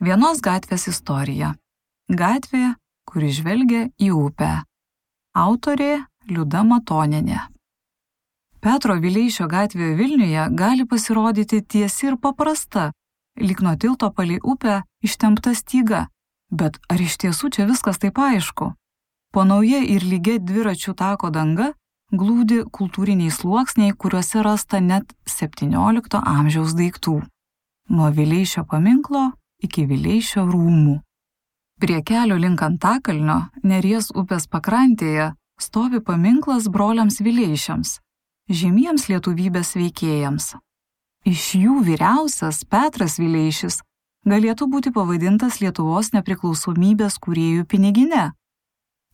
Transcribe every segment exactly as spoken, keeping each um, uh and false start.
Vienos gatvės istorija. Gatvė, kuri žvelgia į upę. Autorė Liuda Matonienė. Petro Vileišio gatvė Vilniuje gali pasirodyti tiesi ir paprasta, lyg nuo tilto palei upę ištempta styga. Bet ar iš tiesų čia viskas taip aišku? Po nauja ir lygia dviračių tako danga glūdi kultūriniai sluoksniai, kuriuose rasta net septyniolikto amžiaus daiktų. Nuo Vileišio paminklo iki Vileišio rūmų. Prie kelio link Antakalnio, Neries upės pakrantėje, stovi paminklas broliams Vileišiams, žymiems lietuvybės veikėjams. Iš jų vyriausias Petras Vileišis galėtų būti pavadintas Lietuvos nepriklausomybės kūrėjų pinigine.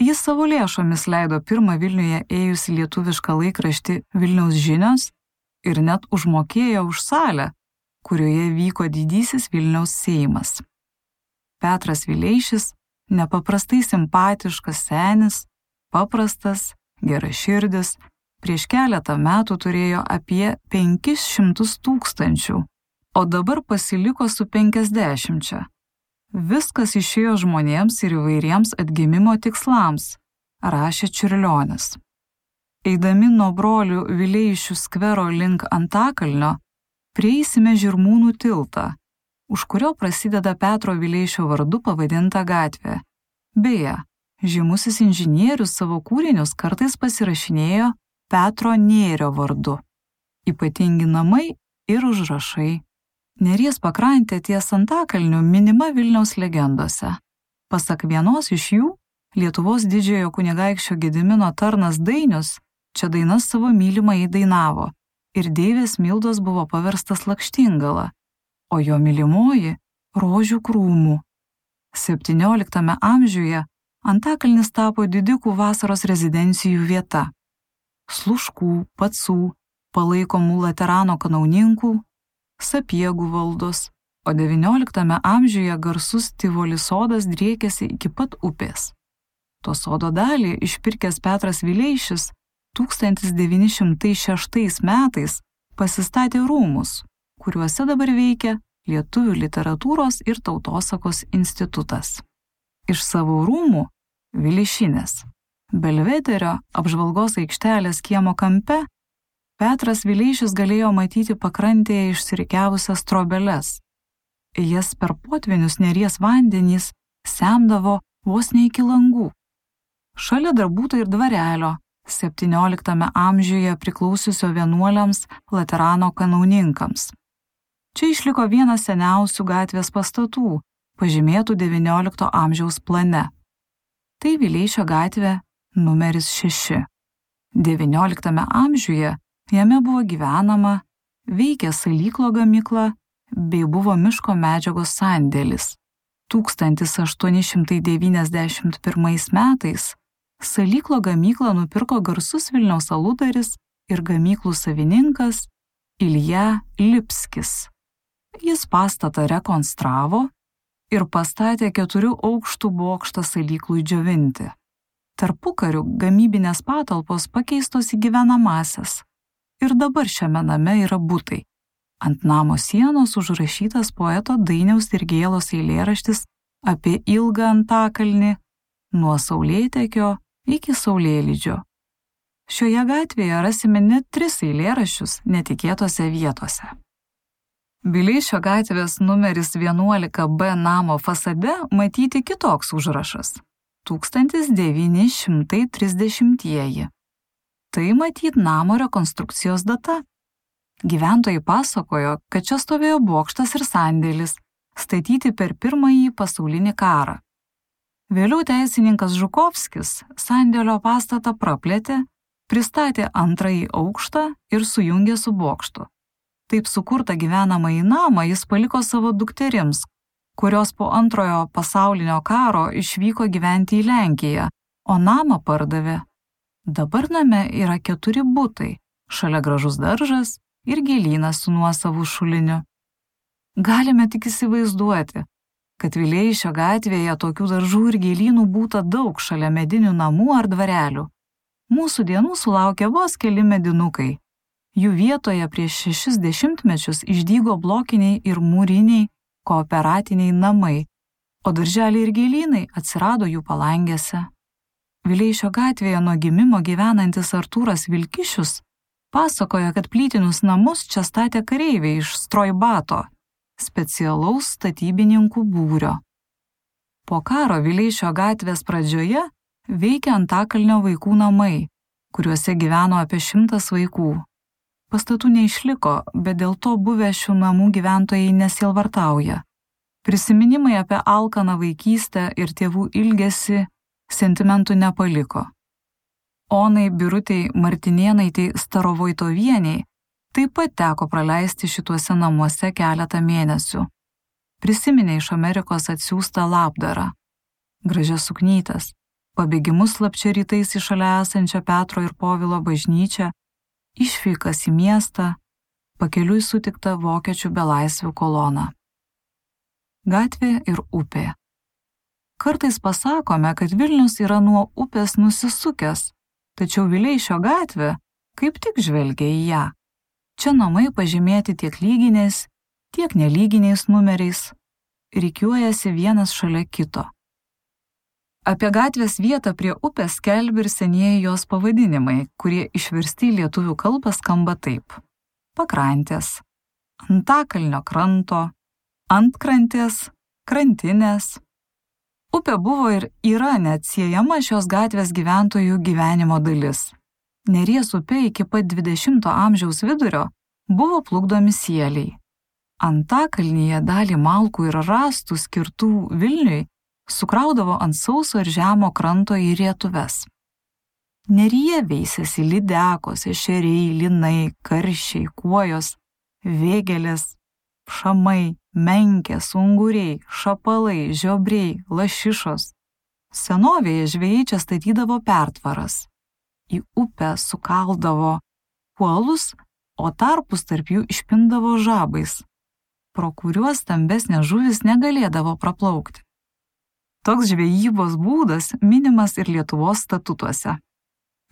Jis savo lėšomis leido pirmą Vilniuje ėjusi lietuvišką laikraštį Vilniaus žinios ir net užmokėjo už salę, kurioje vyko didysis Vilniaus Seimas. Petras Vileišis nepaprastai simpatiškas senis, paprastas, geraširdis, prieš keletą metų turėjo apie penkis šimtus tūkstančių, o dabar pasiliko su penkiasdešimčia. Viskas išėjo žmonėms ir įvairiems atgimimo tikslams, rašė Čiurlionis. Eidami nuo brolių Vileišių skvero link Antakalnio, prieisime Žirmūnų tiltą, už kurio prasideda Petro Vileišio vardu pavadinta gatvė. Beje, žymusis inžinierius savo kūrinius kartais pasirašinėjo Petro Nėrio vardu. Ypatingi namai ir užrašai. Neries pakrantė ties Antakalniu minima Vilniaus legendose. Pasak vienos iš jų, Lietuvos didžiojo kunigaikščio Gedimino tarnas Dainius čia dainas savo mylimai dainavo ir deivės Mildos buvo paverstas lakštingala, o jo mylimoji rožių krūmų. septynioliktame amžiuje Antakalnis tapo didikų vasaros rezidencijų vieta. Sluškų, Pacų, palaikomų Laterano kanauninkų, Sapiegų valdos, o devynioliktame amžiuje garsus Tivoli sodas driekėsi iki pat upės. To sodo dalį išpirkęs Petras Vileišis tūkstantis devyni šimtai šeštais metais pasistatė rūmus, kuriuose dabar veikia Lietuvių literatūros ir tautosakos institutas. Iš savo rūmų Vileišinės Belvederio apžvalgos aikštelės kiemo kampe Petras Vileišis galėjo matyti pakrantėje išsirikiavusias trobeles. Jas per potvinius Neries vandenys semdavo vos ne iki langų. Šalia dar būta ir dvarelio, septynioliktame amžiuje priklausiusio vienuoliams Laterano kanauninkams. Čia išliko vienas seniausių gatvės pastatų, pažymėtų devyniolikto amžiaus plane. Tai Vileišio gatvė numeris šeši. devynioliktame amžiuje jame buvo gyvenama, veikė salyklo gamykla bei buvo miško medžiagos sandėlis. tūkstantis aštuoni šimtai devyniasdešimt pirmais metais salyklo gamyklą nupirko garsus Vilniaus aludaris ir gamyklų savininkas Ilja Lipskis. Jis pastatą rekonstravo ir pastatė keturių aukštų bokštą salyklui džiovinti. Tarpukariu gamybinės patalpos pakeistos į gyvenamąsias ir dabar šiame name yra butai. Ant namo sienos užrašytas poeto Dainiaus Dirgėlos eilėraštis apie ilgą Antakalnį nuo Saulėtekio iki Saulėlydžio. Šioje gatvėje rasime net tris eilėraščius netikėtose vietose. Vileišio gatvės numeris vienuolika B namo fasade matyti kitoks užrašas – tūkstantis devyni šimtai trisdešimtieji. Tai matyt namo rekonstrukcijos data. Gyventojai pasakojo, kad čia stovėjo bokštas ir sandėlis, statyti per pirmąjį pasaulinį karą. Vėliau teisininkas Žukovskis sandėlio pastatą praplėtė, pristatė antrąjį aukštą ir sujungė su bokštu. Taip sukurtą gyvenamąjį namą jis paliko savo dukterims, kurios po antrojo pasaulinio karo išvyko gyventi į Lenkiją, o namą pardavė. Dabar name yra keturi butai, šalia gražus daržas ir gėlynas su nuosavu šuliniu. Galime tik įsivaizduoti, kad Vileišio gatvėje tokių daržų ir gėlynų būta daug šalia medinių namų ar dvarelių. Mūsų dienų sulaukė vos keli medinukai. Jų vietoje prieš šešis dešimtmečius išdygo blokiniai ir mūriniai kooperatiniai namai, o darželiai ir gėlynai atsirado jų palangėse. Vileišio gatvėje nuo gimimo gyvenantis Artūras Vilkišius pasakoja, kad plytinius namus čia statė kareiviai iš Strojbato, specialaus statybininkų būrio. Po karo Vileišio gatvės pradžioje veikia Antakalnio vaikų namai, kuriuose gyveno apie šimtas vaikų. Pastatų neišliko, bet dėl to buvę šių namų gyventojai nesielvartauja. Prisiminimai apie alkaną vaikystę ir tėvų ilgesį sentimentų nepaliko. Onai Birutei Martinėnaitei Starovoitovieniai taip pat teko praleisti šituose namuose keletą mėnesių. Prisiminė iš Amerikos atsiųstą labdarą, gražias suknytes, pabėgimus slapčia rytais į šalia esančią Petro ir Povilo bažnyčią, išvykas į miestą, pakeliui sutiktą vokiečių belaisvių koloną. Gatvė ir upė. Kartais pasakome, kad Vilnius yra nuo upės nusisukęs, tačiau Vileišio gatvė kaip tik žvelgia į ją. Čia namai pažymėti tiek lyginiais, tiek nelyginiais numeriais, rikiuojasi vienas šalia kito. Apie gatvės vietą prie upės skelbia ir senieji jos pavadinimai, kurie išversti į lietuvių kalbą skamba taip: pakrantės, Antakalnio kranto, antkrantės, krantinės. Upė buvo ir yra neatsiejama šios gatvės gyventojų gyvenimo dalis. Neries upė iki pat dvidešimto amžiaus vidurio buvo plukdomi sieliai. Antakalnyje dalį malkų ir rąstų skirtų Vilniui sukraudavo ant sauso ir žemo kranto į rietuves. Neryje veisėsi lydekos, ešeriai, linai, karšiai, kuojos, vėgelės, šamai, menkės, unguriai, šapalai, žiobriai, lašišos. Senovėje žvejai čia statydavo pertvaras. Į upę sukaldavo kuolus, o tarpus tarp jų išpindavo žabais, pro kuriuos stambesnės žuvys negalėdavo praplaukti. Toks žvejybos būdas minimas ir Lietuvos statutuose.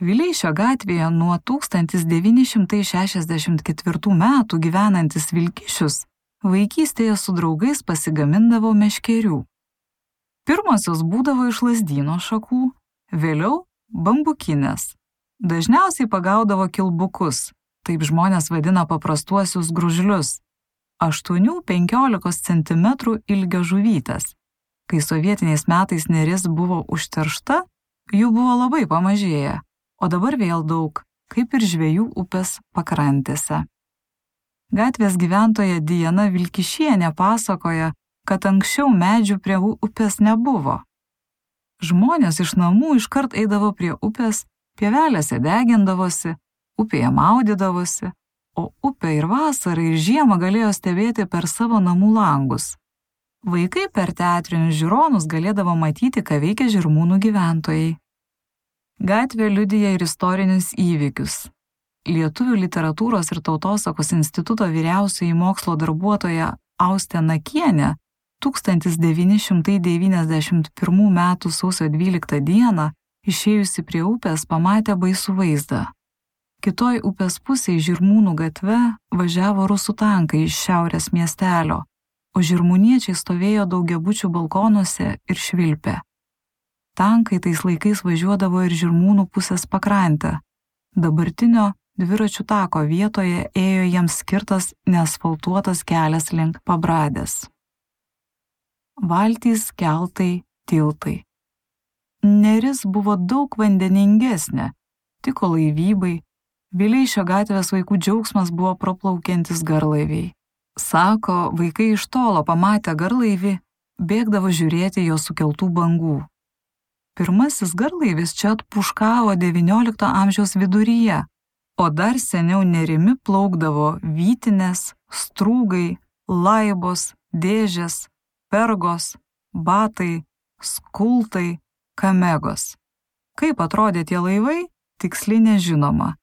Vileišio gatvėje nuo tūkstantis devyni šimtai šešiasdešimt ketvirtų metų gyvenantis Vilkišius vaikystėje su draugais pasigamindavo meškerių. Pirmosios būdavo iš lazdyno šakų, vėliau bambukinės. Dažniausiai pagaudavo kilbukus, taip žmonės vadina paprastuosius gružlius, aštuonių iki penkiolikos centimetrų ilgio žuvytės. Kai sovietiniais metais Neris buvo užteršta, jų buvo labai pamažėję, o dabar vėl daug, kaip ir žvejų upės pakrantėse. Gatvės gyventoja Diana Vilkišienė pasakoja, kad anksčiau medžių prie upės nebuvo. Žmonės iš namų iškart eidavo prie upės, pievelėse degindavosi, upėje maudydavosi, o upę ir vasarą ir žiemą galėjo stebėti per savo namų langus. Vaikai per teatrinius žiūronus galėdavo matyti, ką veikia Žirmūnų gyventojai. Gatvė liudija ir istorinius įvykius. Lietuvių literatūros ir tautosakos instituto vyriausioji mokslo darbuotoja Austė Nakienė tūkstantis devyni šimtai devyniasdešimt pirmų metų sausio dvyliktą dieną išėjusi prie upės pamatė baisų vaizdą. Kitoj upės pusėje Žirmūnų gatve važiavo rusų tankai iš šiaurės miestelio, o žirmūniečiai stovėjo daugiabučių balkonuose ir švilpė. Tankai tais laikais važiuodavo ir Žirmūnų pusės pakrantę. Dabartinio dviračių tako vietoje ėjo jiems skirtas neasfaltuotas kelias link Pabradės. Valtys, keltai, tiltai. Neris buvo daug vandeningesnė, tiko laivybai, Vileišio gatvės vaikų džiaugsmas buvo praplaukiantis garlaiviai. Sako, vaikai iš tolo pamatę garlaivį, bėgdavo žiūrėti jo sukeltų bangų. Pirmasis garlaivis čia atpuškavo devyniolikto amžiaus viduryje, o dar seniau Nerimi plaukdavo vytinės, strūgai, laibos, dėžės, pergos, batai, skultai, kamegos. Kaip atrodė tie laivai, tiksliai nežinoma.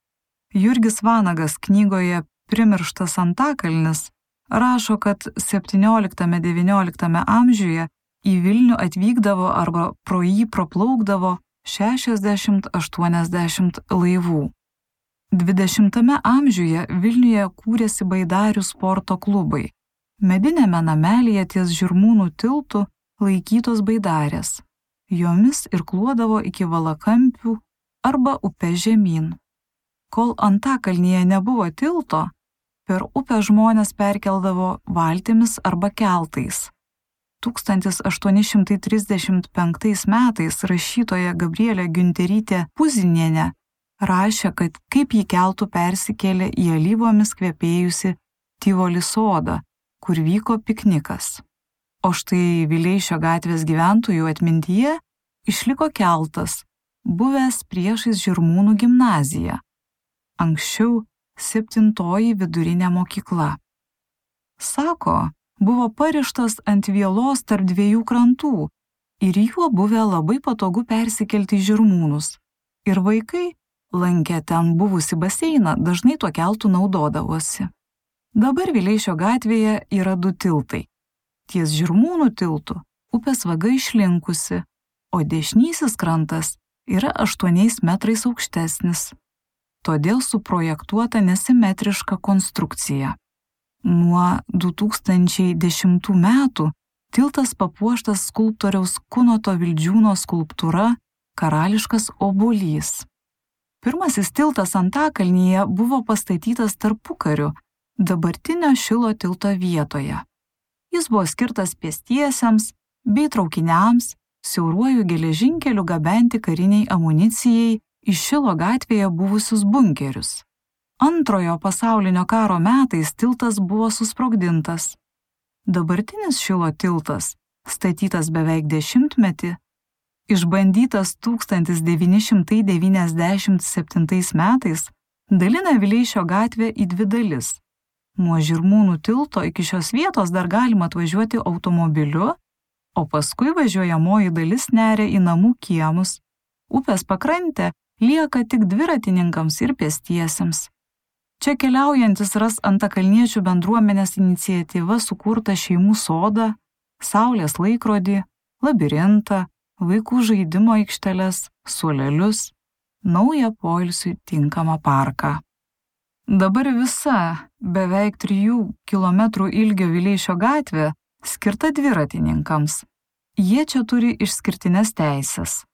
Jurgis Vanagas knygoje Primirštas Antakalnis rašo, kad septynioliktame devynioliktame amžiuje į Vilnių atvykdavo arba pro jį praplaukdavo šešiasdešimt aštuoniasdešimt laivų. dvidešimtame amžiuje Vilniuje kūrėsi baidarių sporto klubai. Medinėme namelyje ties Žirmūnų tiltu laikytos baidarės. Jomis irkluodavo iki Valakampių arba upės žemyn. Kol Antakalnyje nebuvo tilto, per upę žmonės perkeldavo valtimis arba keltais. tūkstantis aštuoni šimtai trisdešimt penktais metais rašytoja Gabrielė Giunterytė Puzinienė rašė, kad kaip ji keltų persikėlė į alyvomis kvepėjusi Tivoli sodą, kur vyko piknikas. O štai Vileišio gatvės gyventojų atmintyje išliko keltas, buvęs priešais Žirmūnų gimnaziją. Anksčiau septintoji vidurinė mokykla. Sako, buvo parištas ant vielos tarp dviejų krantų ir juo buvę labai patogu persikelti į Žirmūnus. Ir vaikai, lankę ten buvusi baseiną, dažnai tuo keltu naudodavosi. Dabar Vileišio gatvėje yra du tiltai. Ties Žirmūnų tiltu upės vaga išlinkusi, o dešinysis krantas yra aštuoniais metrais aukštesnis. Todėl suprojektuota nesimetriška konstrukcija. Nuo du tūkstančiai dešimtų metų tiltas papuoštas skulptoriaus Kunoto Vildžiūno skulptūra Karališkas obuolys. Pirmasis tiltas Antakalnyje buvo pastatytas tarpukariu dabartinio Šilo tilto vietoje. Jis buvo skirtas pėstiesiems bei traukiniams siauruoju geležinkeliu gabenti kariniai amunicijai į Šilo gatvėje buvusius bunkerius. Antrojo pasaulinio karo metais tiltas buvo susprogdintas. Dabartinis Šilo tiltas, statytas beveik dešimtmetį, išbandytas tūkstantis devyni šimtai devyniasdešimt septintais metais, dalina Vileišio gatvę į dvi dalis. Nuo Žirmūnų tilto iki šios vietos dar galima atvažiuoti automobiliu, o paskui važiuojamoji dalis neria į namų kiemus. Upės pakrantė lieka tik dviratininkams ir pėstiesiems. Čia keliaujantis ras antakalniečių bendruomenės iniciatyva sukurtą šeimų sodą, saulės laikrodį, labirintą, vaikų žaidimo aikšteles, suolelius, naują poilsiui tinkamą parką. Dabar visa beveik trijų kilometrų ilgio Vileišio gatvė skirta dviratininkams. Jie čia turi išskirtines teises.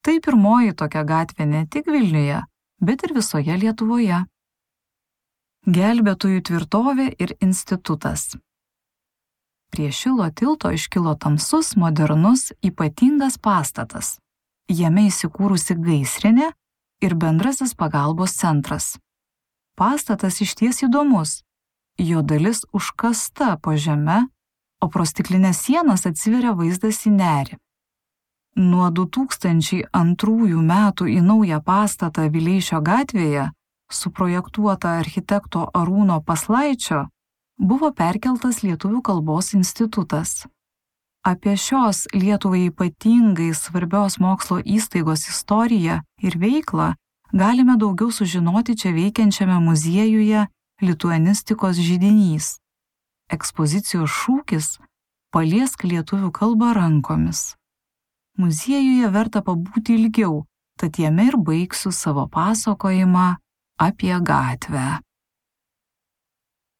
Tai pirmoji tokia gatvė ne tik Vilniuje, bet ir visoje Lietuvoje. Gelbėtojų tvirtovė ir institutas. Prie Šilo tilto iškilo tamsus, modernus, ypatingas pastatas. Jame įsikūrusi gaisrinė ir bendrasis pagalbos centras. Pastatas išties įdomus. Jo dalis užkasta po žeme, o pro stiklinės sienas atsiveria vaizdas į nerį. Nuo du tūkstančiai antrųjų metų į naują pastatą Vileišio gatvėje, suprojektuotą architekto Arūno Paslaičio, buvo perkeltas Lietuvių kalbos institutas. Apie šios Lietuvai ypatingai svarbios mokslo įstaigos istoriją ir veiklą galime daugiau sužinoti čia veikiančiame muziejuje Lituanistikos židinys. Ekspozicijos šūkis – Paliesk lietuvių kalbą rankomis. Muziejuje verta pabūti ilgiau, tad jame ir baigsiu savo pasakojimą apie gatvę.